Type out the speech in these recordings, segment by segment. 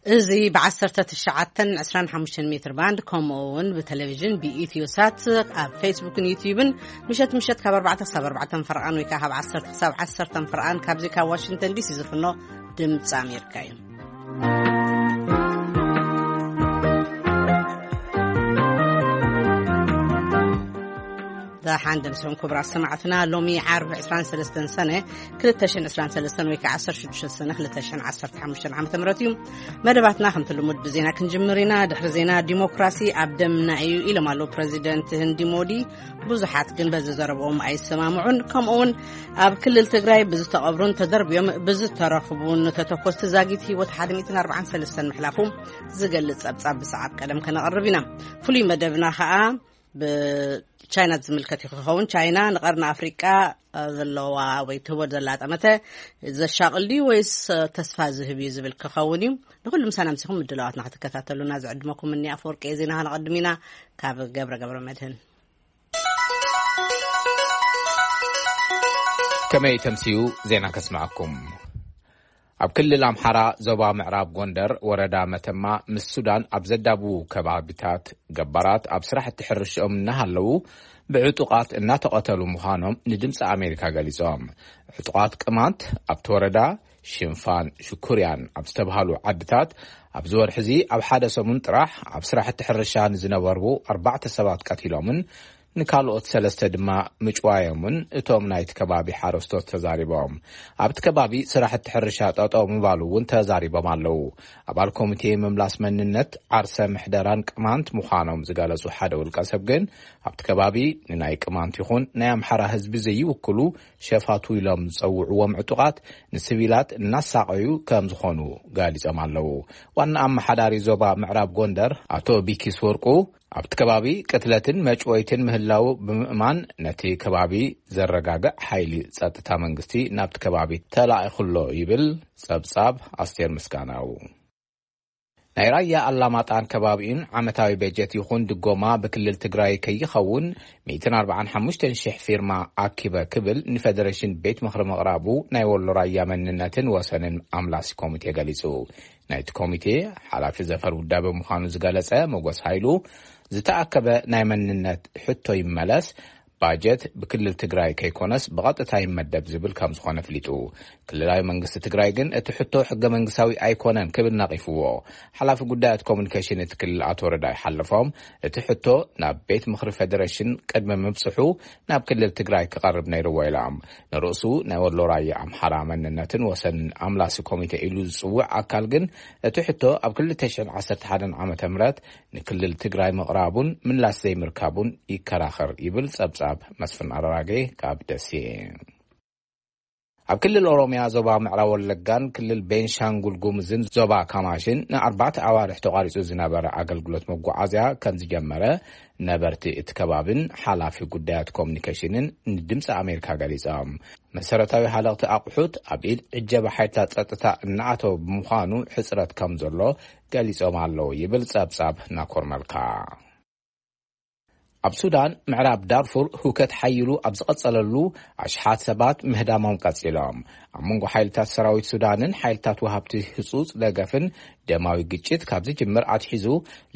እዚ ብ19 ን25 ሜትር ባንድ፣ ከምኡ እውን ብቴሌቪዥን ብኢትዮ ሳት፣ ኣብ ፌስቡክን ዩቲዩብን ምሸት ምሸት ካብ ኣርባዕተ ክሳብ ኣርባዕተ ፈረቓን ወይ ከዓ ካብ ዓሰርተ ክሳብ ዓሰርተ ፈረቓን ካብዚ ካብ ዋሽንግተን ዲሲ ዝፍኖ ድምፂ ኣሜሪካ እዩ። ደሓን ደምስኹም ክቡራት ሰማዕትና። ሎሚ ዓርቢ ዕስራን ሰለስተን ሰነ ክልተ ሽሕን ዕስራን ሰለስተን ወይ ከዓ ዓሰርተ ሽዱሽተ ሰነ ክልተ ሽሕን ዓሰርተ ሓሙሽተን ዓመተ ምህረት እዩ። መደባትና ከምቲ ልሙድ ብዜና ክንጅምር ኢና። ድሕሪ ዜና፣ ዲሞክራሲ ኣብ ደምና እዩ ኢሎም ኣለዉ ፕረዚደንት ህንዲ ሞዲ። ብዙሓት ግን በዚ ዘረብኦም ኣይሰማምዑን። ከምኡ እውን ኣብ ክልል ትግራይ ብዝተቐብሩን ተደርብዮም ብዝተረኽቡን ተተኮስቲ ዛጊት ህይወት ሓደ ሚእትን ኣርባዓን ሰለስተን ምሕላፉ ዝገልጽ ጸብጻብ ብሰዓብ ቀደም ከነቕርብ ኢና። ፍሉይ መደብና ኸኣ ብቻይና ዝምልከት እዩ ክኸውን። ቻይና ንቐርኒ ኣፍሪቃ ዘለዋ ወይ ትህቦ ዘላ ጠመተ ዘሻቕል ድዩ ወይስ ተስፋ ዝህብ እዩ ዝብል ክኸውን እዩ። ንኹሉ ምሳና ምሲኹም ምድላዋትና ክትከታተሉና ዝዕድመኩም እኒ ኣፈወርቂ ዜና ከነቐድም ኢና። ካብ ገብረ ገብረ መድህን። ከመይ ተምስዩ ዜና ከስምዐኩም። ኣብ ክልል ኣምሓራ ዞባ ምዕራብ ጎንደር ወረዳ መተማ ምስ ሱዳን ኣብ ዘዳብዉ ከባቢታት ገባራት ኣብ ስራሕቲ ሕርሽኦም እናሃለዉ ብዕጡቓት እናተቐተሉ ምዃኖም ንድምፂ ኣሜሪካ ገሊጾም። ዕጡቓት ቅማንት ኣብቲ ወረዳ ሽንፋን ሽኩርያን ኣብ ዝተብሃሉ ዓድታት ኣብዚ ወርሒ እዚ ኣብ ሓደ ሰሙን ጥራሕ ኣብ ስራሕቲ ሕርሻ ንዝነበሩ ኣርባዕተ ሰባት ቀቲሎምን ንካልኦት ሰለስተ ድማ ምጭዋዮምን እቶም ናይቲ ከባቢ ሓረስቶት ተዛሪቦም። ኣብቲ ከባቢ ስራሕቲ ሕርሻ ጠጠው ምባሉ እውን ተዛሪቦም ኣለዉ። ኣባል ኮሚቴ ምምላስ መንነት፣ ዓርሰ ምሕደራን ቅማንት ምዃኖም ዝገለጹ ሓደ ውልቀ ሰብ ግን፣ ኣብቲ ከባቢ ንናይ ቅማንት ይኹን ናይ ኣምሓራ ህዝቢ ዘይውክሉ ሸፋቱ ኢሎም ዝጸውዕዎም ዕጡቓት ንሲቪላት እናሳቐዩ ከም ዝኾኑ ገሊጾም ኣለዉ። ዋና ኣመሓዳሪ ዞባ ምዕራብ ጎንደር ኣቶ ቢኪስ ወርቁ፣ ኣብቲ ከባቢ ቅትለትን መጭወይትን ምህላዉ ብምእማን፣ ነቲ ከባቢ ዘረጋግዕ ሓይሊ ጸጥታ መንግስቲ ናብቲ ከባቢ ተላኢኹ ኣሎ ይብል ጸብጻብ ኣስቴር ምስጋናው። ናይ ራያ ኣላማጣን ከባቢኡን ዓመታዊ በጀት ይኹን ድጎማ ብክልል ትግራይ ከይኸውን ሚእትን ኣርባዓን ሓሙሽተን ሽሕ ፊርማ ኣኪበ ክብል ንፌደሬሽን ቤት ምኽሪ ምቕራቡ ናይ ወሎ ራያ መንነትን ወሰንን ኣምላሲ ኮሚቴ ገሊጹ። ናይቲ ኮሚቴ ሓላፊ ዘፈር ውዳበ ምዃኑ ዝገለጸ መጎስ ሃይሉ፣ ዝተኣከበ ናይ መንነት ሕቶ ይመለስ፣ ባጀት ብክልል ትግራይ ከይኮነስ ብቐጥታ ይመደብ ዝብል ከም ዝኾነ ኣፍሊጡ። ክልላዊ መንግስቲ ትግራይ ግን እቲ ሕቶ ሕገ መንግስታዊ ኣይኮነን ክብል ነቒፍዎ። ሓላፊ ጉዳያት ኮሙኒኬሽን እቲ ክልል ኣቶ ረዳይ ሓለፎም፣ እቲ ሕቶ ናብ ቤት ምኽሪ ፌደሬሽን ቅድሚ ምብጽሑ ናብ ክልል ትግራይ ክቐርብ ነይርዎ ኢሎም። ንርእሱ ናይ ወሎ ራያ ኣምሓራ መንነትን ወሰንን ኣምላሲ ኮሚቴ ኢሉ ዝጽውዕ ኣካል ግን እቲ ሕቶ ኣብ ክልተ ሽሕን ዓሰርተ ሓደን ዓመተ ምህረት ንክልል ትግራይ ምቕራቡን ምላሽ ዘይምርካቡን ይከራኸር ይብል ጸብጻብ መስፍን ኣራጌ ካብ ደሴ። ኣብ ክልል ኦሮምያ ዞባ ምዕራብ ወለጋን ክልል ቤንሻንጉል ጉሙዝን ዞባ ካማሽን ንኣርባዕተ ኣዋርሕ ተቋሪጹ ዝነበረ ኣገልግሎት መጓዓዝያ ከም ዝጀመረ ነበርቲ እቲ ከባብን ሓላፊ ጉዳያት ኮሙኒኬሽንን ንድምፂ ኣሜሪካ ገሊጾም። መሰረታዊ ሃለቕቲ ኣቑሑት ኣብ ኢድ ዕጀባ ሓይልታት ጸጥታ እናኣተወ ብምዃኑ ሕጽረት ከም ዘሎ ገሊጾም ኣለዉ ይብል ጸብጻብ ናኮር መልካ። ኣብ ሱዳን ምዕራብ ዳርፉር ህውከት ሓይሉ ኣብ ዝቐጸለሉ ኣሽሓት ሰባት ምህዳሞም ቀጺሎም። ኣብ መንጎ ሓይልታት ሰራዊት ሱዳንን ሓይልታት ወሃብቲ ህጹጽ ደገፍን ደማዊ ግጭት ካብ ዝጅምር ኣትሒዙ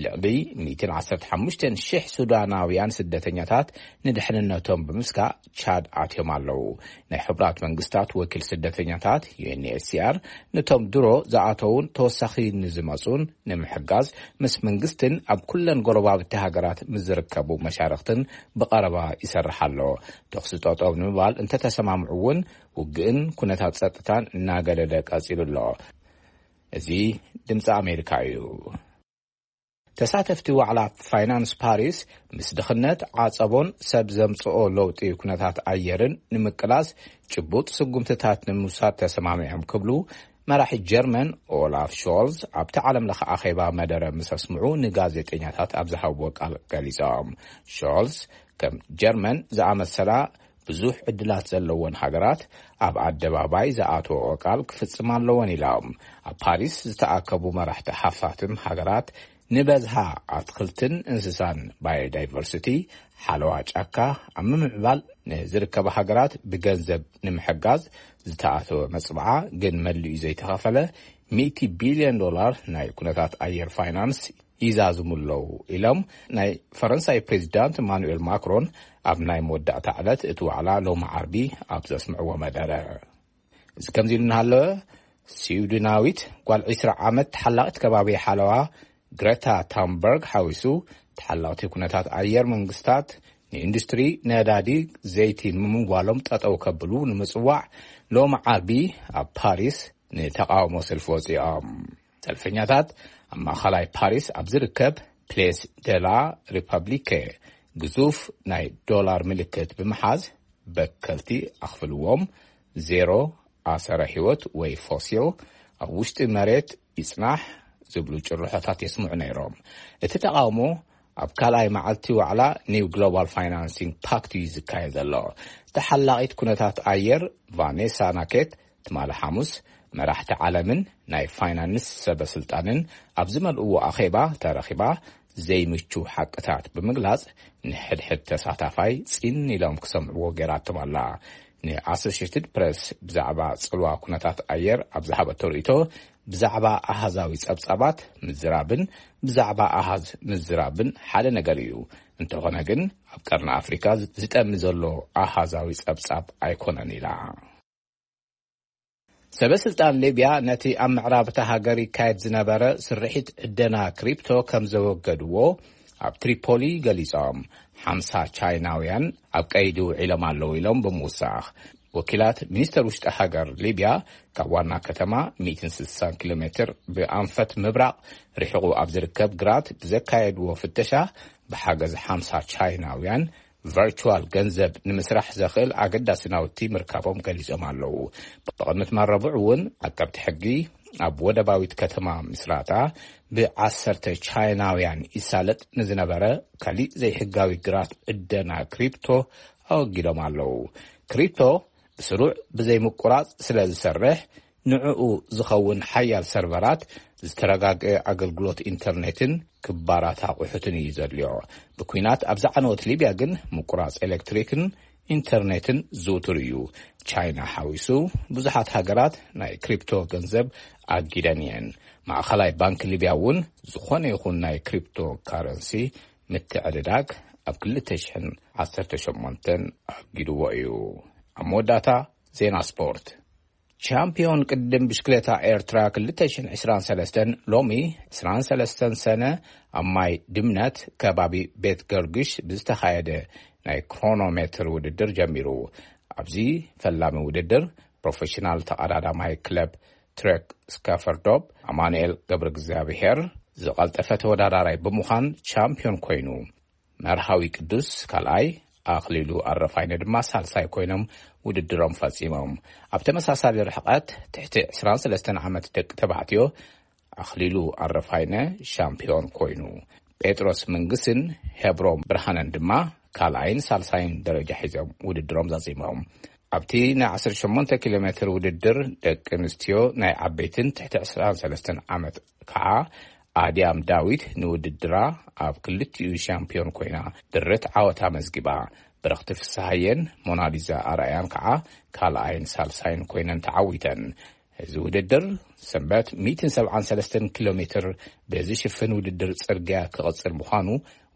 ልዕሊ ሚእትን ዓሰርተ ሓሙሽተን ሽሕ ሱዳናውያን ስደተኛታት ንድሕንነቶም ብምስጋእ ቻድ ኣትዮም ኣለዉ። ናይ ሕቡራት መንግስታት ወኪል ስደተኛታት ዩ ኤን ኤች ሲ ኣር ነቶም ድሮ ዝኣተዉን ተወሳኺ ንዝመጹን ንምሕጋዝ ምስ መንግስትን ኣብ ኩለን ጎረባብቲ ሃገራት ምስ ዝርከቡ መሻርኽትን ብቐረባ ይሰርሕ ኣሎ። ተኹሲ ጠጠው ንምባል እንተተሰማምዑ እውን ውግእን ኩነታት ጸጥታን እናገደደ ቀጺሉ ኣሎ። እዚ ድምፂ ኣሜሪካ እዩ። ተሳተፍቲ ዋዕላ ፋይናንስ ፓሪስ ምስ ድኽነት፣ ዓጸቦን ሰብ ዘምጽኦ ለውጢ ኩነታት ኣየርን ንምቅላስ ጭቡጥ ስጉምትታት ንምውሳድ ተሰማሚዖም ክብሉ መራሒ ጀርመን ኦላፍ ሾልዝ ኣብቲ ዓለም ለኸ ኣኼባ መደረ ምስ ኣስምዑ ንጋዜጠኛታት ኣብ ዝሃብዎ ቃል ገሊጾም። ሾልዝ ከም ጀርመን ዝኣመሰላ ብዙሕ ዕድላት ዘለወን ሃገራት ኣብ ኣደባባይ ዝኣተወኦ ቃል ክፍጽም ኣለወን ኢሎም። ኣብ ፓሪስ ዝተኣከቡ መራሕቲ ሓፋትም ሃገራት ንበዝሃ ኣትክልትን እንስሳን ባዮዳይቨርሲቲ ሓለዋ ጫካ ኣብ ምምዕባል ንዝርከባ ሃገራት ብገንዘብ ንምሕጋዝ ዝተኣተወ መጽብዓ ግን መሊኡ ዘይተኸፈለ ሚእቲ ቢልዮን ዶላር ናይ ኩነታት ኣየር ፋይናንስ ይዛዝሙ ኣለዉ ኢሎም ናይ ፈረንሳይ ፕሬዚዳንት ኢማኑኤል ማክሮን ኣብ ናይ መወዳእታ ዕለት እቲ ዋዕላ ሎሚ ዓርቢ ኣብ ዘስምዕዎ መደረ። እዚ ከምዚ ኢሉ እናሃለወ፣ ስዊድናዊት ጓል ዕስራ ዓመት ተሓላቒት ከባቢ ሓለዋ ግረታ ታምበርግ ሓዊሱ ተሓላቕቲ ኩነታት ኣየር መንግስታት ንኢንዱስትሪ ነዳዲ ዘይቲ ንምምዋሎም ጠጠው ከብሉ ንምጽዋዕ ሎሚ ዓርቢ ኣብ ፓሪስ ንተቃውሞ ሰልፊ ወጺኦም። ሰልፈኛታት ኣብ ማእኸላይ ፓሪስ ኣብ ዝርከብ ፕሌስ ደላ ሪፐብሊከ ግዙፍ ናይ ዶላር ምልክት ብምሓዝ በከልቲ ኣኽፍልዎም ዜሮ ኣሰረ ህይወት ወይ ፎሲል ኣብ ውሽጢ መሬት ይጽናሕ ዝብሉ ጭርሖታት የስምዑ ነይሮም። እቲ ተቃውሞ ኣብ ካልኣይ መዓልቲ ዋዕላ ኒው ግሎባል ፋይናንሲንግ ፓክት እዩ ዝካየድ ዘሎ። ተሓላቒት ኩነታት ኣየር ቫኔሳ ናኬት ትማሊ ሓሙስ መራሕቲ ዓለምን ናይ ፋይናንስ ሰበ ስልጣንን ኣብ ዝመልእዎ ኣኼባ ተረኺባ ዘይምቹ ሓቅታት ብምግላጽ ንሕድሕድ ተሳታፋይ ጺን ኢሎም ክሰምዕዎ ገይራቶም ኣላ። ንኣሶሽየትድ ፕረስ ብዛዕባ ጽልዋ ኩነታት ኣየር ኣብ ዝሃበቶ ርእይቶ፣ ብዛዕባ ኣሃዛዊ ጸብጻባት ምዝራብን ብዛዕባ ኣሃዝ ምዝራብን ሓደ ነገር እዩ። እንተኾነ ግን ኣብ ቀርኒ ኣፍሪካ ዝጠሚ ዘሎ ኣሃዛዊ ጸብጻብ ኣይኮነን ኢላ። ሰበ ስልጣን ሊብያ ነቲ ኣብ ምዕራብ እታ ሃገር ይካየድ ዝነበረ ስርሒት ዕደና ክሪፕቶ ከም ዘወገድዎ ኣብ ትሪፖሊ ገሊጾም። ሓምሳ ቻይናውያን ኣብ ቀይዲ ውዒሎም ኣለዉ ኢሎም ብምውሳኽ፣ ወኪላት ሚኒስተር ውሽጢ ሃገር ሊብያ ካብ ዋና ከተማ ሚእትን ስሳን ኪሎ ሜትር ብኣንፈት ምብራቕ ርሒቑ ኣብ ዝርከብ ግራት ብዘካየድዎ ፍተሻ ብሓገዝ ሓምሳ ቻይናውያን ቨርቹዋል ገንዘብ ንምስራሕ ዘኽእል ኣገዳሲ ናውቲ ምርካቦም ገሊጾም ኣለዉ። ብቕድሚ ትማል ረቡዕ እውን ዓቀብቲ ሕጊ ኣብ ወደባዊት ከተማ ምስራታ ብዓሰርተ ቻይናውያን ይሳለጥ ንዝነበረ ካሊእ ዘይሕጋዊ ግራት ዕደና ክሪፕቶ ኣወጊዶም ኣለዉ። ክሪፕቶ ብስሩዕ ብዘይምቁራጽ ስለ ዝሰርሕ፣ ንዕኡ ዝኸውን ሓያል ሰርቨራት፣ ዝተረጋግአ ኣገልግሎት ኢንተርኔትን ክባራት ኣቑሑትን እዩ ዘድልዮ። ብኲናት ኣብ ዝዓነወት ሊብያ ግን ምቁራጽ ኤሌክትሪክን ኢንተርኔትን ዝውቱር እዩ። ቻይና ሓዊሱ ብዙሓት ሃገራት ናይ ክሪፕቶ ገንዘብ ኣጊደን እየን። ማእኸላይ ባንክ ሊብያ እውን ዝኾነ ይኹን ናይ ክሪፕቶ ካረንሲ ምትዕድዳግ ኣብ ክልተ ሽሕን ዓሰርተ ሸሞንተን ኣጊድዎ እዩ። ኣብ መወዳእታ ዜና ስፖርት። ቻምፒዮን ቅድም ብሽክሌታ ኤርትራ ክልተ ሽሕን ዕስራን ሰለስተን ሎሚ ዕስራን ሰለስተን ሰነ ኣብ ማይ ድምነት ከባቢ ቤት ገርግሽ ብዝተኻየደ ናይ ክሮኖሜትር ውድድር ጀሚሩ። ኣብዚ ፈላሚ ውድድር ፕሮፌሽናል ተቐዳዳማይ ክለብ ትሬክ ስካፈርዶፕ ኣማኑኤል ገብረ እግዚኣብሔር ዝቐልጠፈ ተወዳዳራይ ብምዃን ቻምፒዮን ኮይኑ፣ መርሃዊ ቅዱስ ካልኣይ፣ ኣኽሊሉ ኣረፋይነ ድማ ሳልሳይ ኮይኖም ውድድሮም ፈጺሞም። ኣብ ተመሳሳሊ ርሕቐት ትሕቲ ዕስራን ሰለስተን ዓመት ደቂ ተባዕትዮ ኣኽሊሉ ኣረፋይነ ሻምፒዮን ኮይኑ፣ ጴጥሮስ መንግስን ሄብሮም ብርሃነን ድማ ካልኣይን ሳልሳይን ደረጃ ሒዞም ውድድሮም ዛዚሞም። ኣብቲ ናይ ዓሰርተ ሸሞንተ ኪሎ ሜትር ውድድር ደቂ ኣንስትዮ ናይ ዓበይትን ትሕቲ ዕስራን ሰለስተን ዓመት ከዓ ኣድያም ዳዊት ንውድድራ ኣብ ክልቲኡ ሻምፒዮን ኮይና ድርት ዓወት ኣመዝጊባ። ብረኽቲ ፍስሃየን ሞናሊዛ ኣርኣያን ከዓ ካልኣይን ሳልሳይን ኮይነን ተዓዊተን። እዚ ውድድር ሰንበት ሚእትን ሰብዓን ሰለስተን ኪሎ ሜትር ብዝሽፍን ውድድር ጽርግያ ክቕጽል ምዃኑ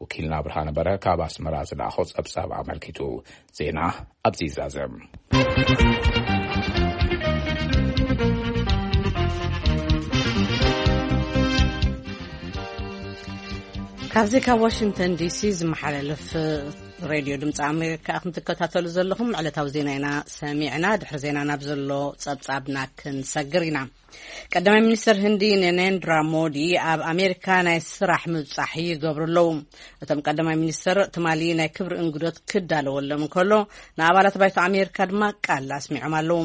ወኪልና ብርሃነ በረሀ ካብ ኣስመራ ዝለኣኾ ጸብጻብ ኣመልኪቱ። ዜና ኣብዚ ይዛዘም። ካብዚ ካብ ዋሽንግተን ዲሲ ዝመሓላለፍ ሬድዮ ድምፂ ኣሜሪካ ኢኹም ትከታተሉ ዘለኹም። ዕለታዊ ዜና ኢና ሰሚዕና። ድሕሪ ዜና ናብ ዘሎ ጸብጻብና ክንሰግር ኢና። ቀዳማይ ሚኒስትር ህንዲ ነሬንድራ ሞዲ ኣብ ኣሜሪካ ናይ ስራሕ ምብጻሕ ይገብሩ ኣለዉ። እቶም ቀዳማይ ሚኒስትር ትማሊ ናይ ክብሪ እንግዶት ክዳለወሎም እንከሎ፣ ንኣባላት ባይቶ ኣሜሪካ ድማ ቃል ኣስሚዖም ኣለዉ።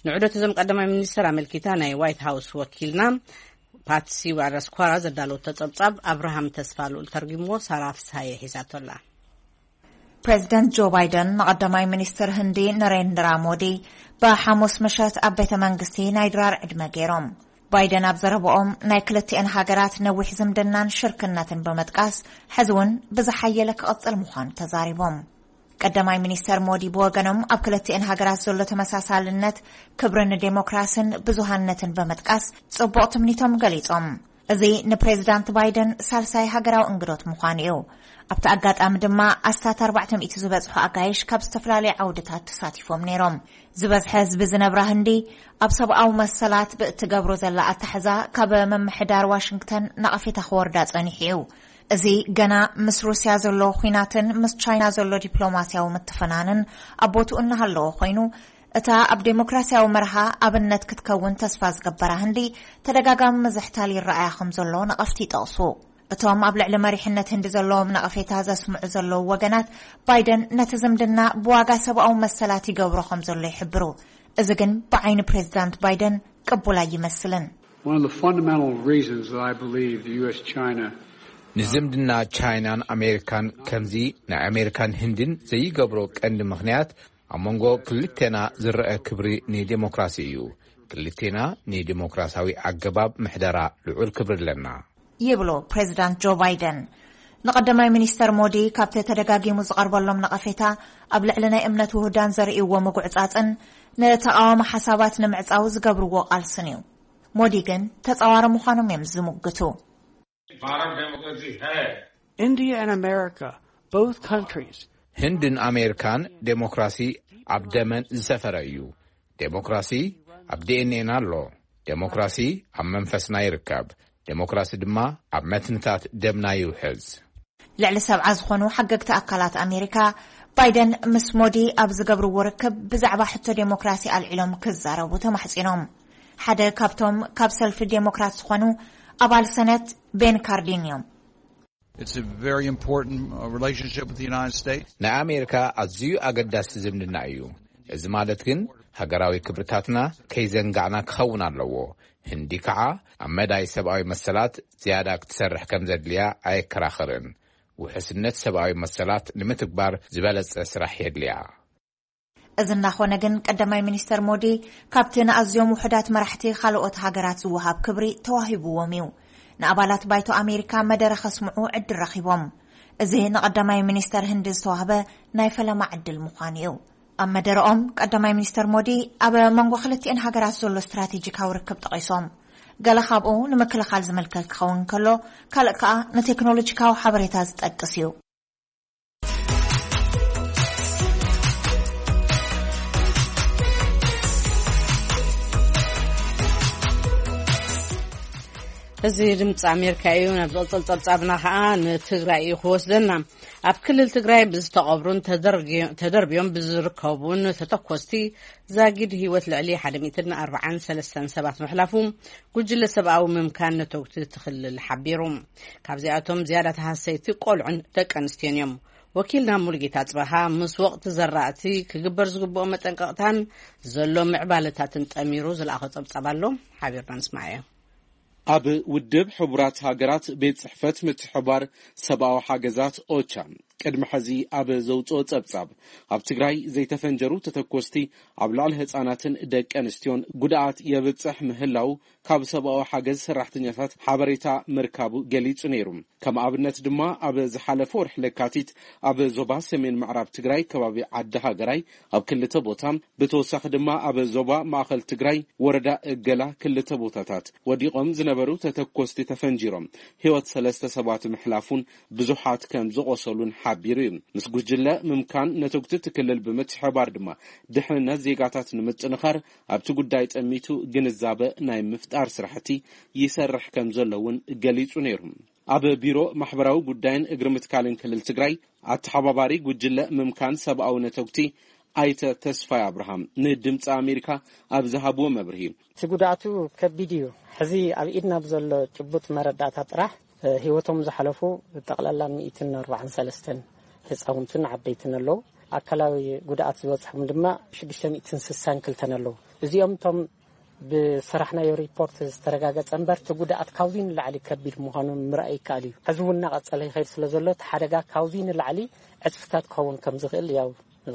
ንዑደት እዞም ቀዳማይ ሚኒስትር ኣመልኪታ ናይ ዋይት ሃውስ ወኪልና ፓትሲ ዋራስኳራ ዘዳለወቶ ጸብጻብ ኣብርሃም ተስፋ ልኡል ተርጉምዎ፣ ሳራ ፍስሃየ ሒዛቶ ኣላ። ፕሬዚደንት ጆ ባይደን ንቐዳማይ ሚኒስትር ህንዲ ነሬንድራ ሞዲ ብሓሙስ ምሸት ኣብ ቤተ መንግስቲ ናይ ድራር ዕድመ ገይሮም። ባይደን ኣብ ዘረብኦም ናይ ክልቲኤን ሃገራት ነዊሕ ዝምድናን ሽርክነትን ብምጥቃስ፣ ሕዚ እውን ብዝሓየለ ክቕጽል ምዃኑ ተዛሪቦም። ቀዳማይ ሚኒስተር ሞዲ ብወገኖም፣ ኣብ ክልቲኤን ሃገራት ዘሎ ተመሳሳልነት፣ ክብሪ ንዴሞክራስን ብዙሃነትን ብምጥቃስ፣ ጽቡቕ ትምኒቶም ገሊጾም። እዚ ንፕሬዚዳንት ባይደን ሳልሳይ ሃገራዊ እንግዶት ምዃኑ እዩ። ኣብቲ ኣጋጣሚ ድማ፣ ኣስታት ኣርባዕተ ሚእቲ ዝበጽሑ ኣጋይሽ ካብ ዝተፈላለዩ ዓውድታት ተሳቲፎም ነይሮም። ዝበዝሐ ህዝቢ ዝነብራ ህንዲ፣ ኣብ ሰብኣዊ መሰላት ብእትገብሮ ዘላ ኣታሕዛ፣ ካብ ምምሕዳር ዋሽንግተን ነቐፌታ ክወርዳ ጸኒሑ እዩ። እዚ ገና ምስ ሩስያ ዘሎ ኲናትን ምስ ቻይና ዘሎ ዲፕሎማስያዊ ምትፍናንን ኣብ ቦትኡ እናሃለወ ኮይኑ፣ እታ ኣብ ዴሞክራስያዊ መርሃ ኣብነት ክትከውን ተስፋ ዝገበራ ህንዲ፣ ተደጋጋሚ ምዝሕታል ይረኣያ ከም ዘሎ ነቐፍቲ ይጠቕሱ። እቶም ኣብ ልዕሊ መሪሕነት ህንዲ ዘለዎም ነቐፌታ ዘስምዑ ዘለዉ ወገናት፣ ባይደን ነቲ ዝምድና ብዋጋ ሰብኣዊ መሰላት ይገብሮ ከም ዘሎ ይሕብሩ። እዚ ግን ብዓይኒ ፕሬዚዳንት ባይደን ቅቡል ኣይመስልን። One of the fundamental reasons that I believe the U S China ንዝምድና ቻይናን ኣሜሪካን ከምዚ ናይ ኣሜሪካን ህንድን ዘይገብሮ ቀንዲ ምኽንያት፣ ኣብ መንጎ ክልቴና ዝረአ ክብሪ ንዴሞክራሲ እዩ። ክልቴና ንዴሞክራሲያዊ ኣገባብ ምሕደራ ልዑል ክብሪ ኣለና። ይብሉ ፕሬዚዳንት ጆ ባይደን። ንቀዳማይ ሚኒስተር ሞዲ ካብቲ ተደጋጊሙ ዝቐርበሎም ነቐፌታ፣ ኣብ ልዕሊ ናይ እምነት ውሁዳን ዘርእይዎ ምጉዕጻጽን ንተቓዋሚ ሓሳባት ንምዕጻው ዝገብርዎ ቃልስን እዩ። ሞዲ ግን ተጻዋሪ ምዃኖም እዮም ዝምግቱ። India and America, both countries, ህንድን ኣሜሪካን ዴሞክራሲ ኣብ ደመን ዝሰፈረ እዩ። ዴሞክራሲ ኣብ ዲኤንኤና ኣሎ። ዴሞክራሲ ኣብ መንፈስና ይርከብ። ዴሞክራሲ ድማ ኣብ መትንታት ደምና ይውሕዝ። ልዕሊ ሰብዓ ዝኾኑ ሓገግቲ ኣካላት ኣሜሪካ፣ ባይደን ምስ ሞዲ ኣብ ዝገብርዎ ርክብ ብዛዕባ ሕቶ ዴሞክራሲ ኣልዒሎም ክዛረቡ ተማሕጺኖም። ሓደ ካብቶም ካብ ሰልፊ ዴሞክራት ዝኾኑ ኣባል ሰነት ቤን ካርዲን እዮም። It's a very important uh, relationship with the United States. ናይ ኣሜሪካ ኣዝዩ ኣገዳሲ ዝምድና እዩ። እዚ ማለት ግን፣ ሃገራዊ ክብርታትና ከይዘንጋዕና ክኸውን ኣለዎ። ህንዲ ከዓ ኣብ መዳይ ሰብኣዊ መሰላት ዝያዳ ክትሰርሕ ከም ዘድልያ ኣየከራኽርን። ውሕስነት ሰብኣዊ መሰላት ንምትግባር ዝበለጸ ስራሕ የድልያ። እዚ እናኾነ ግን፣ ቀዳማይ ሚኒስተር ሞዲ ካብቲ ንኣዝዮም ውሑዳት መራሕቲ ካልኦት ሃገራት ዝወሃብ ክብሪ ተዋሂብዎም እዩ። ንኣባላት ባይቶ ኣሜሪካ መደረ ከስምዑ ዕድል ረኺቦም። እዚ ንቀዳማይ ሚኒስተር ህንዲ ዝተዋህበ ናይ ፈለማ ዕድል ምዃኑ እዩ። ኣብ መደረኦም፣ ቀዳማይ ሚኒስተር ሞዲ ኣብ መንጎ ክልቲኤን ሃገራት ዘሎ ስትራቴጂካዊ ርክብ ጠቒሶም። ገለ ካብኡ ንምክልኻል ዝምልከት ክኸውን ከሎ፣ ካልእ ከኣ ንቴክኖሎጂካዊ ሓበሬታ ዝጠቅስ እዩ። እዚ ድምፂ ኣሜሪካ እዩ። ናብ ዝቕፅል ፀብፃብና ከዓ ንትግራይ እዩ ክወስደና። ኣብ ክልል ትግራይ ብዝተቐብሩን ተደርብዮም ብዝርከቡን ተተኮስቲ ዛጊድ ህይወት ልዕሊ ሓደ ሚእትን ኣርባዓን ሰለስተን ሰባት ምሕላፉ ጉጅለ ሰብኣዊ ምምካን ነተጉቲ እቲ ክልል ሓቢሩ። ካብዚኣቶም ዝያዳ ተሃሰይቲ ቆልዑን ደቂ ኣንስትዮን እዮም። ወኪልና ሙሉጌታ ጽበሃ ምስ ወቕቲ ዘራእቲ ክግበር ዝግብኦ መጠንቀቕታን ዘሎ ምዕባለታትን ጠሚሩ ዝለኣኾ ጸብጻብ ኣሎ፣ ሓቢርና ንስማዓዮ። ኣብ ውድብ ሕቡራት ሃገራት ቤት ጽሕፈት ምትሕባር ሰብኣዊ ሓገዛት ኦቻ ቅድሚ ሕዚ ኣብ ዘውፅኦ ጸብጻብ፣ ኣብ ትግራይ ዘይተፈንጀሩ ተተኮስቲ ኣብ ልዕሊ ህጻናትን ደቂ ኣንስትዮን ጉድኣት የብጽሕ ምህላው ካብ ሰብኣዊ ሓገዝ ሰራሕተኛታት ሓበሬታ ምርካቡ ገሊጹ ነይሩ። ከም ኣብነት ድማ ኣብ ዝሓለፈ ወርሒ ለካቲት ኣብ ዞባ ሰሜን ምዕራብ ትግራይ ከባቢ ዓዲ ሃገራይ ኣብ ክልተ ቦታ፣ ብተወሳኺ ድማ ኣብ ዞባ ማእኸል ትግራይ ወረዳ እገላ ክልተ ቦታታት ወዲቖም ዝነበሩ ተተኮስቲ ተፈንጂሮም ህይወት ሰለስተ ሰባት ምሕላፉን ብዙሓት ከም ዝቖሰሉን ሓቢሩ እዩ። ምስ ጉጅለ ምምካን ነተጉቲ እቲ ክልል ብምትሕባር ድማ ድሕንነት ዜጋታት ንምጥንኻር ኣብቲ ጉዳይ ጠሚቱ ግንዛበ ናይ ምፍጣር ስራሕቲ ይሰርሕ ከም ዘሎ እውን ገሊጹ ነይሩ። ኣብ ቢሮ ማሕበራዊ ጉዳይን እግሪ ምትካልን ክልል ትግራይ ኣተሓባባሪ ጉጅለ ምምካን ሰብኣዊ ነተጉቲ ኣይተ ተስፋይ ኣብርሃም ንድምፂ ኣሜሪካ ኣብ ዝሃብዎ መብርሂ፣ እቲ ጉድኣቱ ከቢድ እዩ። ሕዚ ኣብ ኢድና ብዘሎ ጭቡጥ መረዳእታ ጥራሕ ህይወቶም ዝሓለፉ ጠቕላላ ሚእትን ኣርባዓን ሰለስተን ህፃውንትን ዓበይትን ኣለዉ። ኣካላዊ ጉድኣት ዝበፅሖም ድማ ሽዱሽተ ሚእትን ስሳን ክልተን ኣለዉ። እዚኦም እቶም ብሰራሕናዮ ሪፖርት ዝተረጋገፀ እምበር፣ እቲ ጉድኣት ካብዚ ንላዕሊ ከቢድ ምዃኑ ምርኣይ ይከኣል እዩ። ሕዚ እውን እናቐፀለ ይኸይድ ስለ ዘሎ፣ እቲ ሓደጋ ካብዚ ንላዕሊ ዕፅፍታት ክኸውን ከም ዝኽእል ያው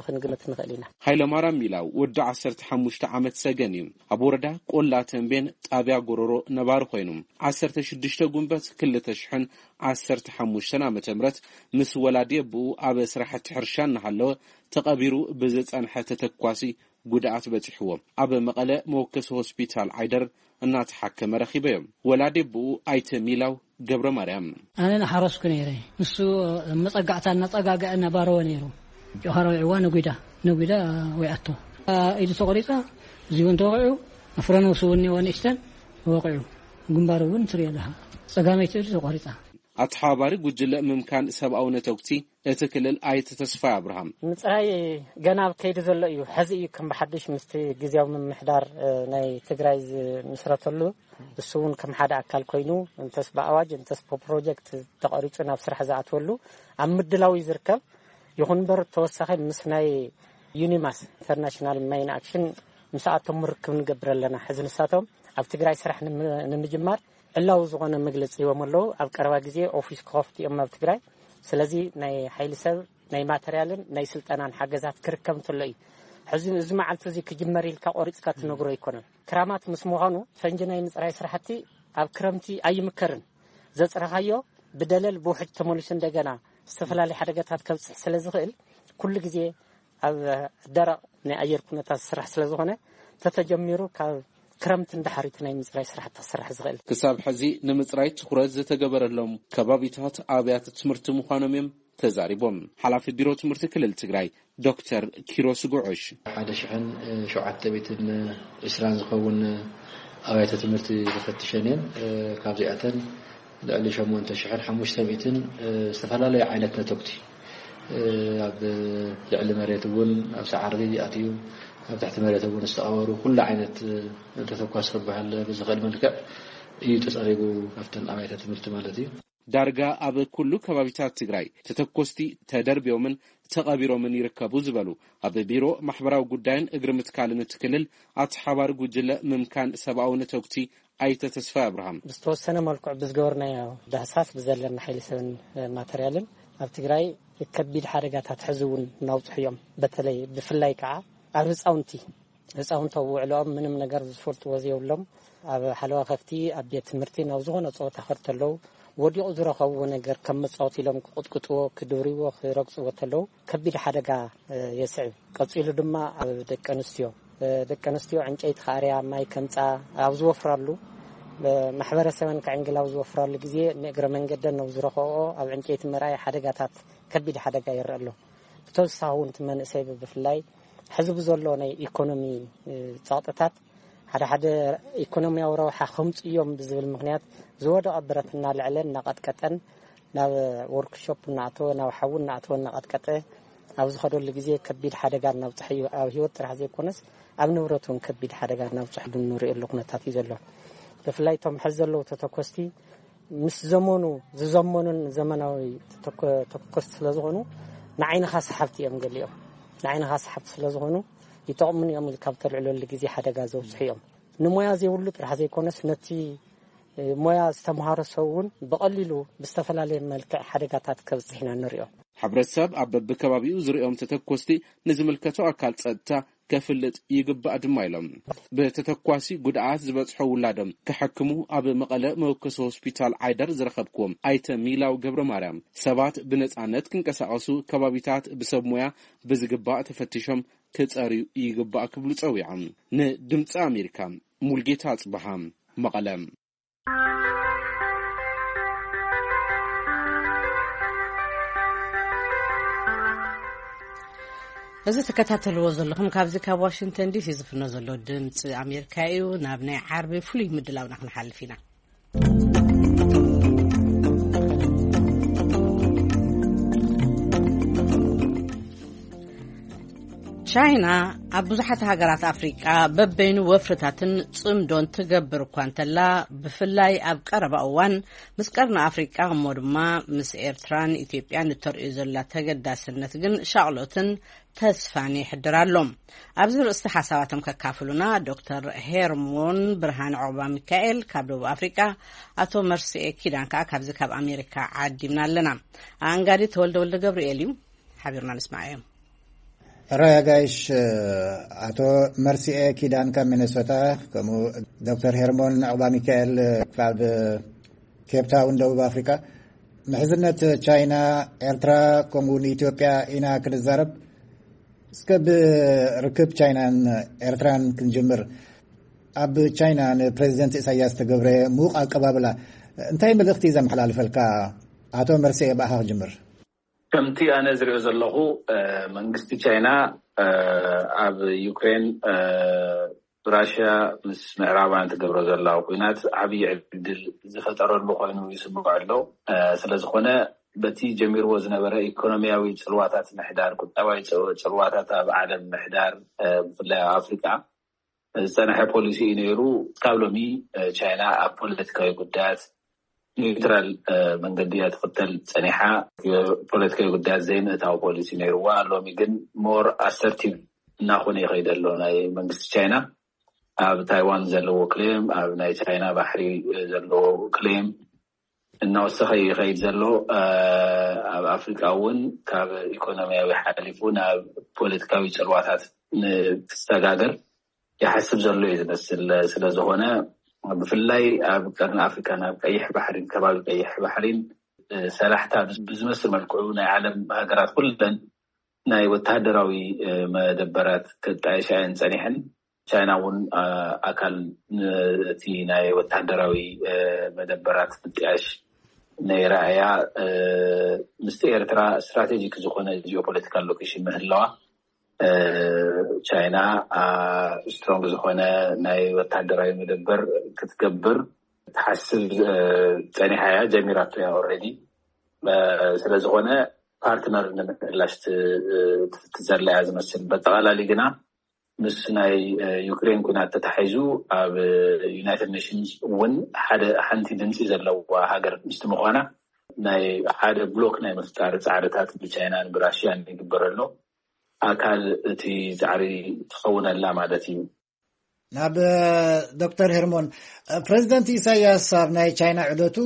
ክንግምት ንኽእል ኢና። ሃይለማርያም ሚላው ወዲ ዓሰርተ ሓሙሽተ ዓመት ሰገን እዩ። ኣብ ወረዳ ቆላ ተንቤን ጣብያ ጎሮሮ ነባሪ ኮይኑ፣ ዓሰርተ ሽዱሽተ ጉንበት ክልተ ሽሕን ዓሰርተ ሓሙሽተን ዓመተ ምህረት ምስ ወላዲ ኣቦኡ ኣብ ስራሕቲ ሕርሻ እናሃለወ ተቐቢሩ ብዝጸንሐ ተተኳሲ ጉድኣት በጺሕዎ ኣብ መቐለ መወከሲ ሆስፒታል ዓይደር እናተሓከመ ረኺበዮ። ወላዲ ኣቦኡ ኣይተ ሚላው ገብረ ማርያም። ኣነ እናሓረስኩ ነይረ። ንሱ መጸጋዕታ እናጸጋግዐ እናባረወ ነይሩ። ጭኻ ረዊዕዋ ነጒዳ፣ ነጒዳ ወይኣቶ። ኢዱ ተቖሪጻ፣ እዚ እውን ተወቒዑ፣ ኣፍረ ነብሱ እውን እኒኦ ንእሽተን ወቒዑ። ግንባሩ እውን ትሪኦ ኣለኻ። ጸጋመይቲ ኢዱ ተቖሪጻ። ኣተሓባባሪ ጉጅለ ምምካን ሰብኣዊ ነተጉቲ እቲ ክልል ኣይተ ተስፋይ ኣብርሃም። ምጽራይ ገና ኣብ ከይዲ ዘሎ እዩ። ሕዚ እዩ ከም ብሓድሽ ምስቲ ግዜያዊ ምምሕዳር፣ እ፣ ናይ ትግራይ ዝምስረተሉ፣ እሱ እውን ከም ሓደ ኣካል ኮይኑ፣ እንተስ ብኣዋጅ እንተስ ብፕሮጀክት ተቐሪጹ ናብ ስራሕ ዝኣትወሉ ኣብ ምድላው እዩ ዝርከብ። ይኹን እምበር ተወሳኺ ምስ ናይ ዩኒማስ ኢንተርናሽናል ማይን ኣክሽን ምስኣቶም ርክብ ንገብር ኣለና። ሕዚ ንሳቶም ኣብ ትግራይ ስራሕ ንም-፣ ንምጅማር ዕላዊ ዝኾነ መግለጺ ሂቦም ኣለዉ። ኣብ ቀረባ ግዜ ኦፊስ ክኸፍቱ እዮም ኣብ ትግራይ። ስለዚ ናይ ሓይሊ ሰብ፣ ናይ ማተርያልን ናይ ስልጠናን ሓገዛት ክርከብ እንተሎ እዩ። ሕዚ እዚ መዓልቲ እዚ ክጅመር ኢልካ ቆሪጽካ ትነግሮ ኣይኮነን። ክራማት ምስ ምዃኑ ፈንጂ ናይ ምጽራይ ስራሕቲ ኣብ ክረምቲ ኣይምከርን። ዘጽረኻዮ ብደለል ብውሕጅ ተመሊሱ እንደገና ዝተፈላለዩ ሓደጋታት ከብጽሕ ስለ ዝኽእል ኩሉ ግዜ ኣብ ደረቕ ናይ ኣየር ኩነታት ዝስራሕ ስለ ዝኾነ ተተጀሚሩ ካብ ክረምቲ ንድሓር እቲ ናይ ምጽራይ ስራሕቲ ክስራሕ ዝኽእል። ክሳብ ሕዚ ንምጽራይ ትኹረት ዝተገበረሎም ከባቢታት ኣብያተ ትምህርቲ ምዃኖም እዮም ተዛሪቦም። ሓላፊ ቢሮ ትምህርቲ ክልል ትግራይ ዶክተር ኪሮስ ጉዑሽ። ሓደ ሽሕን ሸውዓተ ሚእትን ዕስራን ዝኸውን ኣብያተ ትምህርቲ ተፈትሸን እየን። ካብዚኣተን ልዕሊ ሸሞንተ ሽሕን ሓሙሽተ ሚእትን ዝተፈላለዩ ዓይነት ነተጉቲ ኣብ ልዕሊ መሬት እውን ኣብ ሰዓሪ ኣትዩ ኣብ ትሕቲ መሬት እውን ዝተቐበሩ ኩሉ ዓይነት ተተኳሲ ክበሃል ብዝኽእል መልክዕ እዩ ተጸሪጉ ኣብተን ኣብያተ ትምህርቲ ማለት እዩ። ዳርጋ ኣብ ኩሉ ከባቢታት ትግራይ ተተኮስቲ ተደርብዮምን ተቐቢሮምን ይርከቡ ዝበሉ ኣብ ቢሮ ማሕበራዊ ጉዳይን እግሪ ምትካልን እቲ ክልል ኣተሓባሪ ጉጅለ ምምካን ሰብኣዊ ነተጉቲ ኣይተ ተስፋይ ኣብርሃም። ብዝተወሰነ መልክዑ ብዝገበርናዮ ዳህሳስ ብዘለና ሓይሊ ሰብን ማተርያልን ኣብ ትግራይ ከቢድ ሓደጋታት ሕዚ እውን እናውፅሑ እዮም። በተለይ ብፍላይ ከዓ ኣብ ህፃውንቲ ህፃውንቲ ኣብ ውዕለኦም ምንም ነገር ዝፈልጥዎ ዘይብሎም ኣብ ሓለዋ ከፍቲ ኣብ ቤት ትምህርቲ ናብ ዝኾነ ፀወታ ከድ ተለዉ ወዲቑ ዝረኸብዎ ነገር ከም መፃወቲ ኢሎም ክቕጥቅጥዎ ክድብርዎ ክረግፅዎ ተለዉ ከቢድ ሓደጋ የስዕብ። ቀፂሉ ድማ ኣብ ደቂ ኣንስትዮ ደቂ ኣንስትዮ ዕንጨይቲ ክኣርያ ማይ ከምፃ ኣብ ዝወፍራሉ ማሕበረሰበን ከዕንግል ኣብ ዝወፍራሉ ግዜ ንእግረ መንገደን ናብ ዝረኸብኦ ኣብ ዕንጨይቲ ምርኣይ ሓደጋታት ከቢድ ሓደጋ ይረአ ኣሎ። ብተወሳኺ እውን እቲ መንእሰይ ብፍላይ ሕዚ ብዘሎ ናይ ኢኮኖሚ ፀቕጥታት ሓደ ሓደ ኢኮኖሚያዊ ረብሓ ከምፁ እዮም ብዝብል ምክንያት ዝወደቐ ብረት እናልዐለ እናቐጥቀጠን ናብ ወርክሾፕ እናኣተወ ናብ ሓዊ እናኣተወ እናቐጥቀጠ ኣብ ዝኸደሉ ግዜ ከቢድ ሓደጋ እናብፅሐ እዩ። ኣብ ህይወት ጥራሕ ዘይኮነስ ኣብ ንብረት እውን ከቢድ ሓደጋ እናብፅሐሉ እንሪእሉ ኩነታት እዩ ዘሎ። ብፍላይ እቶም ሕዚ ዘለዉ ተተኮስቲ ምስ ዘመኑ ዝዘመኑን ዘመናዊ ተኮስቲ ስለ ዝኾኑ ንዓይንኻ ሰሓብቲ እዮም። ገሊኦም ንዓይንኻ ሰሓብቲ ስለ ዝኾኑ ይጠቕሙን እዮም ኢልካ ብተልዕለሉ ግዜ ሓደጋ ዘብፅሑ እዮም። ንሞያ ዘይብሉ ጥራሕ ዘይኮነስ ነቲ ሞያ ዝተምሃረ ሰብ እውን ብቐሊሉ ብዝተፈላለየ መልክዕ ሓደጋታት ከብፅሕ ኢና ንሪኦ። ሕብረተሰብ ኣብ በብከባቢኡ ዝሪኦም ተተኮስቲ ንዝምልከቶ ኣካል ፀጥታ ከፍልጥ ይግባእ ድማ ኢሎም። ብተተኳሲ ጉድኣት ዝበፅሖ ውላዶም ክሕክሙ ኣብ መቐለ መወከሲ ሆስፒታል ዓይደር ዝረኸብክዎም ኣይተ ሚላው ገብረ ማርያም ሰባት ብነፃነት ክንቀሳቐሱ ከባቢታት ብሰብ ሞያ ብዝግባእ ተፈቲሾም ክፀርዩ ይግባእ ክብሉ ፀዊዖም። ንድምፂ ኣሜሪካ ሙልጌታ ኣፅበሃ መቐለ። እዚ ትከታተልዎ ዘለኹም ካብዚ ካብ ዋሽንግተን ዲሲ ዝፍኖ ዘሎ ድምፂ ኣሜሪካ እዩ። ናብ ናይ ዓርቢ ፍሉይ ምድላውና ክንሓልፍ ኢና። ቻይና ኣብ ብዙሓት ሃገራት ኣፍሪቃ በበይኑ ወፍርታትን ጽምዶን ትገብር እኳ እንተላ፣ ብፍላይ ኣብ ቀረባ እዋን ምስ ቀርኒ ኣፍሪቃ እሞ ድማ ምስ ኤርትራን ኢትዮጵያን እተርእዮ ዘላ ተገዳስነት ግን ሻቕሎትን ተስፋን ይሕድር ኣሎ። ኣብዚ ርእስቲ ሓሳባቶም ከካፍሉና ዶክተር ሄርሞን ብርሃን ዑቕባ ሚካኤል ካብ ደቡብ ኣፍሪቃ፣ ኣቶ መርስኤ ኪዳን ከኣ ካብዚ ካብ ኣሜሪካ ዓዲምና ኣለና። ኣንጋዲ ተወልደ ወልደ ገብርኤል እዩ። ሓቢርና ንስማዓዮም። ሕራይ ኣጋይሽ፣ ኣቶ መርሲኤ ኪዳን ካብ ሚነሶታ፣ ከምኡ ዶክተር ሄርሞን ዕቑባ ሚካኤል ካብ ኬፕታውን ደቡብ ኣፍሪካ። ምሕዝነት ቻይና፣ ኤርትራ፣ ከምኡ ንኢትዮጵያ ኢና ክንዛረብ። እስከ ብርክብ ቻይናን ኤርትራን ክንጅምር። ኣብ ቻይና ንፕሬዚደንት ኢሳያስ ተገብረ ምዉቕ ኣቀባብላ እንታይ መልእኽቲ ዘመሓላልፈልካ? ኣቶ መርሲኤ፣ ብኣኻ ክጅምር። ከምቲ ኣነ ዝሪኦ ዘለኹ መንግስቲ ቻይና ኣብ ዩክሬን ራሽያ ምስ ምዕራባውያን ትገብሮ ዘላ ኩናት ዓብዪ ዕድል ዝፈጠረሉ ኮይኑ ይስምዖ ኣሎ። ስለዝኾነ በቲ ጀሚርዎ ዝነበረ ኢኮኖሚያዊ ፅልዋታት ምሕዳር፣ ቁጠባዊ ፅልዋታት ኣብ ዓለም ምሕዳር፣ ብፍላይ ኣብ ኣፍሪካ ዝፀንሐ ፖሊሲ እዩ ነይሩ። ካብ ሎሚ ቻይና ኣብ ፖለቲካዊ ጉዳያት ኒውትራል መንገዲ እያ ትኽተል ፀኒሓ። ፖለቲካዊ ጉዳያት ዘይምእታዊ ፖሊሲ ነይርዋ። ሎሚ ግን ሞር ኣሰርቲቭ እናኾነ ይኸይድ ኣሎ ናይ መንግስቲ ቻይና። ኣብ ታይዋን ዘለዎ ክሌም፣ ኣብ ናይ ቻይና ባሕሪ ዘለዎ ክሌም እናወሰኸ ይኸይድ ዘሎ። ኣብ ኣፍሪካ እውን ካብ ኢኮኖሚያዊ ሓሊፉ ናብ ፖለቲካዊ ፅልዋታት ንክሰጋገር ይሓስብ ዘሎ እዩ ዝመስል። ስለዝኾነ ብፍላይ ኣብ ቀርኒ ኣፍሪካ ናብ ቀይሕ ባሕሪን ከባቢ ቀይሕ ባሕሪን ሰላሕታ ብዝመስል መልክዑ ናይ ዓለም ሃገራት ኩለን ናይ ወተሃደራዊ መደበራት ክጣየሻ እየን ፀኒሐን። ቻይና እውን ኣካል ነቲ ናይ ወተሃደራዊ መደበራት ምጥያሽ ነይራ እያ። ምስቲ ኤርትራ ስትራቴጂክ ዝኾነ ጂኦፖለቲካል ሎኬሽን ምህላዋ ቻይና ስትሮንግ ዝኾነ ናይ ወታደራዊ መደበር ክትገብር ትሓስብ ፀኒሓ እያ። ጀሚራቶ እያ ኦልሬዲ። ስለዝኾነ ፓርትነር ንምሕላሽ ትዘላ እያ ዝመስል። በጠቓላሊ ግና ምስ ናይ ዩክሬን ኩናት ተታሒዙ ኣብ ዩናይትድ ኔሽንስ እውን ሓደ ሓንቲ ድምፂ ዘለዋ ሃገር ምስቲ ምዃና ናይ ሓደ ብሎክ ናይ ምፍጣር ፃዕርታት ብቻይናን ብራሽያን ይግበር ኣሎ። ኣካል እቲ ፃዕሪ ትኸውን ኣላ ማለት እዩ። ናብ ዶክተር ሄርሞን፣ ፕሬዚደንት ኢሳያስ ኣብ ናይ ቻይና ዑደቱ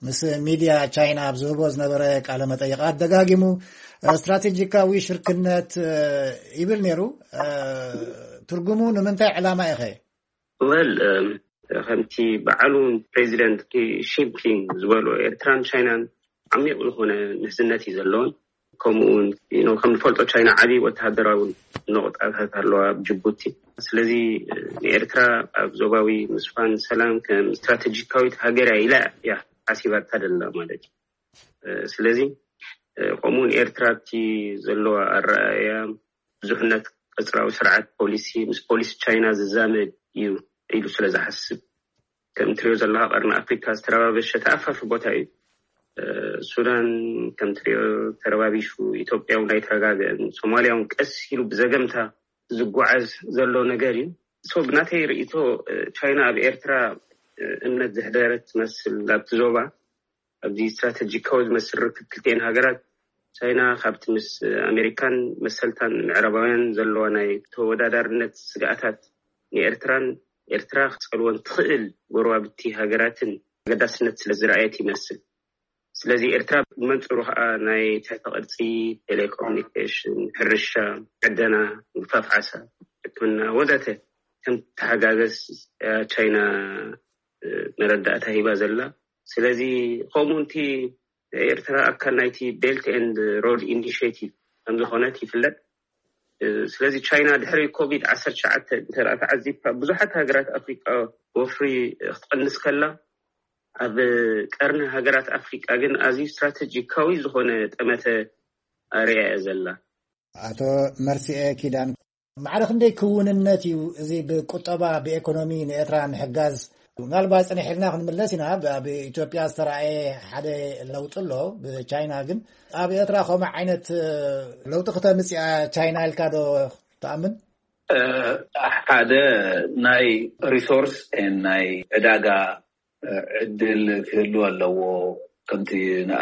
ምስ ሚድያ ቻይና ኣብ ዝህቦ ዝነበረ ቃለ መጠይቃት ደጋጊሙ ስትራቴጂካዊ ሽርክነት ይብል ነይሩ። ትርጉሙ ንምንታይ ዕላማ ኢኸ? ወል ከምቲ በዓሉ ፕሬዚደንት ሺ ጂንፒንግ ዝበሎ ኤርትራን ቻይናን ዓሚቕ ዝኾነ ምሕዝነት እዩ ዘለውን። ከምኡ እውን ከም ንፈልጦ ቻይና ዓብዪ ወተሃደራዊ ነቑጣታት ኣለዋ ኣብ ጅቡቲ። ስለዚ ንኤርትራ ኣብ ዞባዊ ምስፋን ሰላም ከም ስትራቴጂካዊት ሃገር እያ ኢላ እያ ሓሲባታ ደላ ማለት እዩ። ስለዚ ከምኡውን ኤርትራ ኣብቲ ዘለዋ ኣረኣእያ ብዙሕነት ቀፅራዊ ስርዓት ፖሊሲ ምስ ፖሊሲ ቻይና ዝዛመድ እዩ ኢሉ ስለ ዝሓስብ፣ ከም ትሪኦ ዘለካ ቀርኒ ኣፍሪካ ዝተረባበሸ ተኣፋፊ ቦታ እዩ። ሱዳን ከም ትሪኦ ተረባቢሹ፣ ኢትዮጵያ እውን ኣይተረጋገአን፣ ሶማሊያ እውን ቀስ ኢሉ ብዘገምታ ዝጓዓዝ ዘሎ ነገር እዩ። ሶ ብናተይ ርእይቶ ቻይና ኣብ ኤርትራ እምነት ዘሕደረት ትመስል ኣብቲ ዞባ። ኣብዚ ስትራተጂካዊ ዝመስል ርክብ ክልቲኤን ሃገራት ቻይና ካብቲ ምስ ኣሜሪካን መሰልታን ምዕራባውያን ዘለዋ ናይ ተወዳዳርነት ስግኣታት ንኤርትራን ኤርትራ ክፀልወን ትኽእል ጎረባብቲ ሃገራትን ኣገዳስነት ስለ ዝረኣየት ይመስል። ስለዚ ኤርትራ ብመንፅሩ ከዓ ናይ ትሕተ ቅርፂ፣ ቴሌኮሙኒኬሽን፣ ሕርሻ፣ ዕደና፣ ምግፋፍ ዓሳ፣ ሕክምና ወዘተ ከም ተሓጋገዝ ቻይና መረዳእታ ሂባ ዘላ። ስለዚ ከምኡ እቲ ኤርትራ ኣካል ናይቲ ቤልት ኤንድ ሮድ ኢኒሽቲቭ ከምዝኾነት ይፍለጥ። ስለዚ ቻይና ድሕሪ ኮቪድ ዓሰርተ ትሽዓተ እንተ ተዓዚብካ ብዙሓት ሃገራት ኣፍሪቃ ወፍሪ ክትቀንስ ከላ ኣብ ቀርኒ ሃገራት ኣፍሪቃ ግን ኣዝዩ ስትራተጂካዊ ዝኾነ ጠመተ ኣርእያ እያ ዘላ። ኣቶ መርሲኤ ኪዳን፣ ማዕረ ክንደይ ክውንነት እዩ እዚ ብቁጠባ ብኤኮኖሚ ንኤርትራ ምሕጋዝ? ምናልባት ጽንሕ ኢልና ክንምለስ ኢና። ኣብ ኢትዮጵያ ዝተረኣየ ሓደ ለውጢ ኣሎ ብቻይና። ግን ኣብ ኤርትራ ከምኡ ዓይነት ለውጢ ክተምፅእ እያ ቻይና ኢልካ ዶ ትኣምን? ሓደ ናይ ሪሶርስ ናይ ዕዳጋ ዕድል ክህሉ ኣለዎ። ከምቲ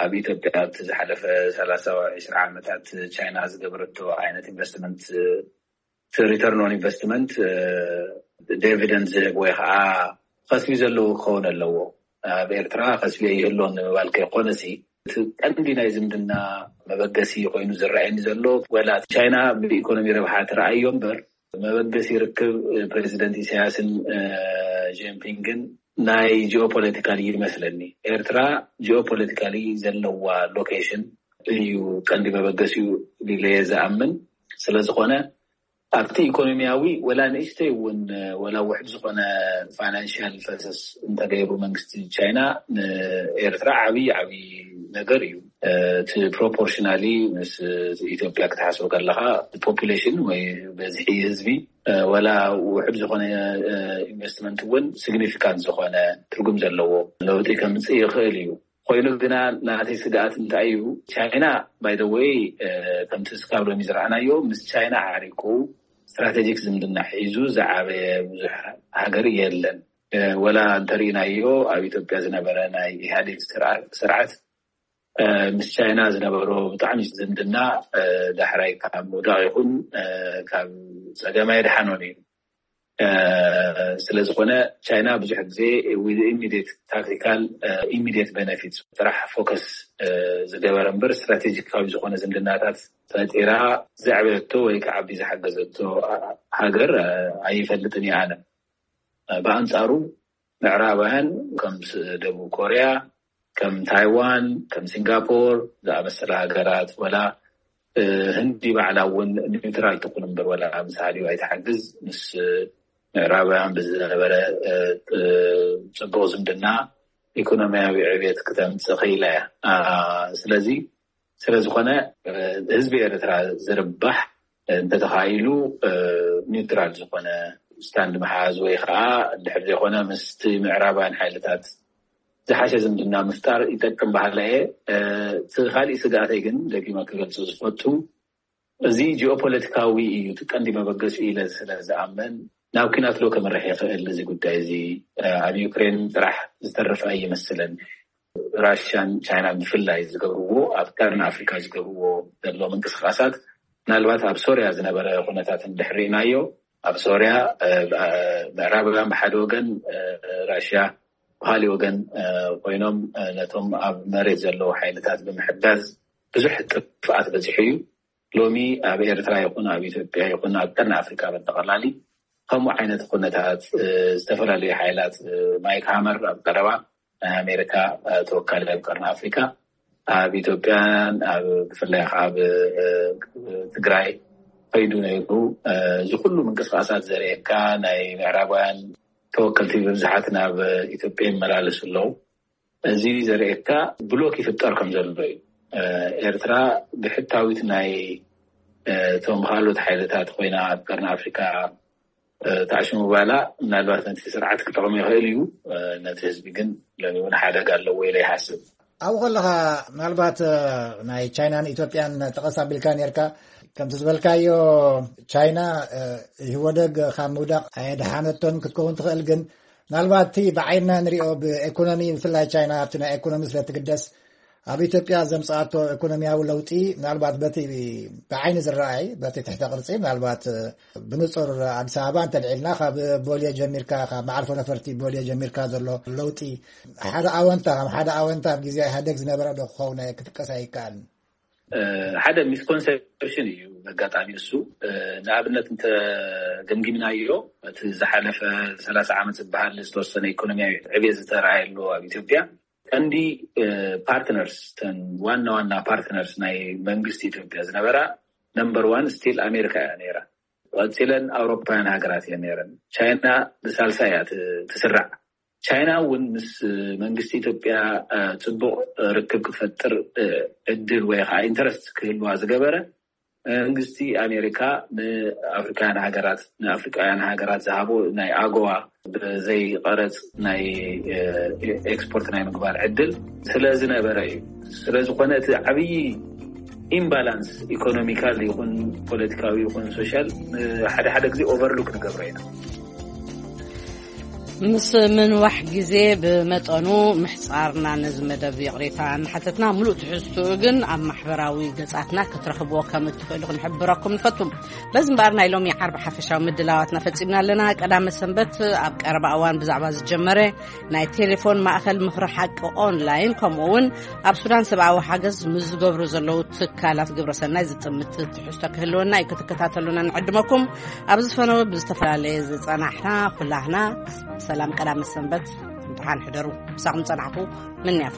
ኣብ ኢትዮጵያ ኣብቲ ዝሓለፈ ሰላሳ ወይ ዕስራ ዓመታት ቻይና ዝገበረቶ ዓይነት ኢንቨስትመንት፣ ሪተርን ኦን ኢንቨስትመንት ዲቪደንድ ዝህብ ወይ ከዓ ከስቢ ዘለዎ ክኸውን ኣለዎ። ኣብ ኤርትራ ከስቢ ይህልዎን ንምባል ከይኮነሲ እቲ ቀንዲ ናይ ዝምድና መበገሲ ኮይኑ ዝረኣየኒ ዘሎ፣ ወላ ቻይና ብኢኮኖሚ ረብሓ ትረኣዮ እምበር፣ መበገሲ ርክብ ፕሬዚደንት ኢሳያስን ጂንፒንግን ናይ ጂኦፖለቲካሊ ይመስለኒ። ኤርትራ ጂኦፖለቲካሊ ዘለዋ ሎኬሽን እዩ ቀንዲ መበገሲኡ ኢለ እየ ዝኣምን። ስለዝኾነ ኣብቲ ኢኮኖሚያዊ ወላ ንእሽተይ እውን ወላ ውሕድ ዝኾነ ፋይናንሽል ፈሰስ እንተገይሩ መንግስቲ ቻይና ንኤርትራ ዓብዪ ዓብዪ ነገር እዩ። እቲ ፕሮፖርሽናሊ ምስ ኢትዮጵያ ክትሓስቡ ከለኻ ፖፑሌሽን ወይ በዝሒ ህዝቢ ወላ ውሕድ ዝኾነ ኢንቨስትመንት እውን ሲግኒፊካንት ዝኾነ ትርጉም ዘለዎ ለውጢ ከምፅእ ይኽእል እዩ። ኮይኑ ግና ናተይ ስግኣት እንታይ እዩ? ቻይና ባይ ዘ ወይ ከምቲ ስካብ ሎሚ ዝረኣናዮ ምስ ቻይና ዓሪቁ ስትራቴጂክ ዝምድና ሒዙ ዝዓበየ ብዙሕ ሃገር የለን። ወላ እንተርኢናዮ ኣብ ኢትዮጵያ ዝነበረ ናይ ኢህኣዴግ ስርዓት ምስ ቻይና ዝነበሮ ብጣዕሚ ዝምድና ዳሕራይ ካብ ምውዳቕ ይኹን ካብ ፀገም ኣይደሓኖን እዩ። ስለዝኾነ ቻይና ብዙሕ ግዜ ኢሚዲየት ታክቲካል ኢሚዲየት ቤነፊት ጥራሕ ፎከስ ዝገበረ እምበር ስትራቴጂካዊ ዝኾነ ዝምድናታት ፈጢራ ዘዕበየቶ ወይ ክዓቢ ዝሓገዘቶ ሃገር ኣይፈልጥን እየ ኣነ። ብኣንፃሩ ምዕራባውያን ከም ደቡብ ኮርያ፣ ከም ታይዋን፣ ከም ሲንጋፖር ዝኣመሰላ ሃገራት፣ ወላ ህንዲ ባዕላ እውን ኒውትራል ትኹን እምበር ወላ ምስ ሃዲኡ ኣይትሓግዝ፣ ምስ ምዕራባውያን ብዝነበረ ፅቡቕ ዝምድና ኢኮኖሚያዊ ዕብየት ክተምፅእ ክኢላ እያ። ስለዚ ስለዝኾነ ህዝቢ ኤርትራ ዝርባሕ እንተተኻኢሉ ኒውትራል ዝኾነ ስታንድ ምሓዝ ወይ ከዓ ድሕር ዘይኮነ ምስቲ ምዕራባውያን ሓይልታት ዝሓሸ ዝምድና ምፍጣር ይጠቅም በሃላ እየ። እቲ ካሊእ ስግኣተይ ግን ደጊመ ክገልጾ ዝፈቱ እዚ ጂኦፖለቲካዊ እዩ እቲ ቀንዲ መበገሲኡ ኢለ ስለ ዝኣምን ናብ ኲናት ዶ ከምርሕ ይኽእል እዚ ጉዳይ እዚ። ኣብ ዩክሬን ጥራሕ ዝተርፍ ኣይመስልን። ራሽያን ቻይናን ብፍላይ ዝገብርዎ ኣብ ቀርኒ ኣፍሪካ ዝገብርዎ ዘሎ ምንቅስቃሳት ምናልባት ኣብ ሶርያ ዝነበረ ኩነታት እንድሕር ርኢናዮ ኣብ ሶርያ ምዕራባውያን ብሓደ ወገን ራሽያ ብካሊእ ወገን ኮይኖም ነቶም ኣብ መሬት ዘለዉ ሓይልታት ብምሕጋዝ ብዙሕ ጥፍኣት በፂሑ እዩ። ሎሚ ኣብ ኤርትራ ይኹን ኣብ ኢትዮጵያ ይኹን ኣብ ቀርኒ ኣፍሪካ በጠቐላሊ ከምኡ ዓይነት ኩነታት ዝተፈላለዩ ሓይላት ማይክ ሃመር ኣብ ቀረባ ናይ ኣሜሪካ ተወካሊ ኣብ ቀርኒ ኣፍሪካ ኣብ ኢትዮጵያን ኣብ ብፍላይ ከዓ ኣብ ትግራይ ከይዱ ነይሩ። እዚ ኩሉ ምንቅስቃሳት ዘርእየካ ናይ ምዕራባውያን ተወከልቲ ብብዝሓት ናብ ኢትዮጵያ ይመላለሱ ኣለዉ። እዚ ዘርእየካ ብሎክ ይፍጠር ከም ዘሎ እዩ። ኤርትራ ብሕታዊት ናይ እቶም ካልኦት ሓይልታት ኮይና ኣብ ቀርኒ ኣፍሪካ ተኣሽሙ ባላ ምናልባት ነቲ ስርዓት ክጠቕም ይኽእል እዩ። ነቲ ህዝቢ ግን ሎሚ እውን ሓደጋ ኣለዎ ኢለ ይሓስብ። ኣብኡ ከለኻ ምናልባት ናይ ቻይናን ኢትዮጵያን ጠቐስ ኣቢልካ ነርካ። ከምቲ ዝበልካዮ ቻይና ኢህወደግ ካብ ምውዳቕ ኣየድሓነቶን ክትከውን ትኽእል፣ ግን ምናልባት እቲ ብዓይንና ንሪኦ ብኤኮኖሚ ብፍላይ ቻይና ኣብቲ ናይ ኤኮኖሚ ስለ ትግደስ ኣብ ኢትዮጵያ ዘምፅኣቶ ኢኮኖሚያዊ ለውጢ ምናልባት በቲ ብዓይኒ ዝረኣይ በቲ ትሕተ ቅርፂ ምናልባት ብንፁር ኣዲስ ኣበባ እንተልዒልና ካብ ቦሌ ጀሚርካ ካብ መዓርፎ ነፈርቲ ቦሌ ጀሚርካ ዘሎ ለውጢ ሓደ ኣወንታ ከም ሓደ ኣወንታ ኣብ ግዜ ኢህኣደግ ዝነበረ ዶ ክኸውን ክጥቀስ ኣይከኣልን? ሓደ ሚስኮንሰፕሽን እዩ ኣጋጣሚ እሱ። ንኣብነት እንተ ገምጊምናዮ እቲ ዝሓለፈ ሰላሳ ዓመት ዝበሃል ዝተወሰነ ኢኮኖሚያዊ ዕብየት ዝተረኣየሉ ኣብ ኢትዮጵያ ቀንዲ ፓርትነርስ ተን ዋና ዋና ፓርትነርስ ናይ መንግስቲ ኢትዮጵያ ዝነበራ ነምበር ዋን ስቲል ኣሜሪካ እያ ነይራ። ቀፂለን ኣውሮፓውያን ሃገራት እየን ነይረን። ቻይና ብሳልሳ እያ ትስራዕ። ቻይና እውን ምስ መንግስቲ ኢትዮጵያ ፅቡቕ ርክብ ክፈጥር ዕድል ወይ ከዓ ኢንተረስት ክህልዋ ዝገበረ መንግስቲ ኣሜሪካ ንኣፍሪካውያን ሃገራት ንኣፍሪካውያን ሃገራት ዝሃቦ ናይ ኣጎዋ ብዘይ ቀረፅ ናይ ኤክስፖርት ናይ ምግባር ዕድል ስለ ዝነበረ እዩ። ስለዝኾነ እቲ ዓብዪ ኢምባላንስ ኢኮኖሚካል ይኹን ፖለቲካዊ ይኹን ሶሻል ሓደ ሓደ ግዜ ኦቨርሉክ ንገብሮ ኢና። ምስ ምንዋሕ ግዜ ብመጠኑ ምሕጻርና ነዚ መደብ ይቕሬታ እናሓተትና፣ ምሉእ ትሕዝትኡ ግን ኣብ ማሕበራዊ ገጻትና ክትረኽብዎ ከም እትኽእሉ ክንሕብረኩም ንፈቱ። በዚ እምበኣር ናይ ሎሚ ዓርቢ ሓፈሻዊ ምድላዋትና ፈጺምና ኣለና። ቀዳመ ሰንበት ኣብ ቀረባ እዋን ብዛዕባ ዝጀመረ ናይ ቴሌፎን ማእከል ምኽሪ ሓቂ ኦንላይን፣ ከምኡ እውን ኣብ ሱዳን ሰብኣዊ ሓገዝ ምስ ዝገብሩ ዘለዉ ትካላት ግብረ ሰናይ ዝጥምት ትሕዝቶ ክህልወና እዩ። ክትከታተሉና ንዕድመኩም። ኣብ ዝፈነወ ብዝተፈላለየ ዝጸናሕና ኩላህና ሰላም ቀዳመ ሰንበት፣ ድሓን ሕደሩ። ምሳኹም ጸናሕኩ። ምንያ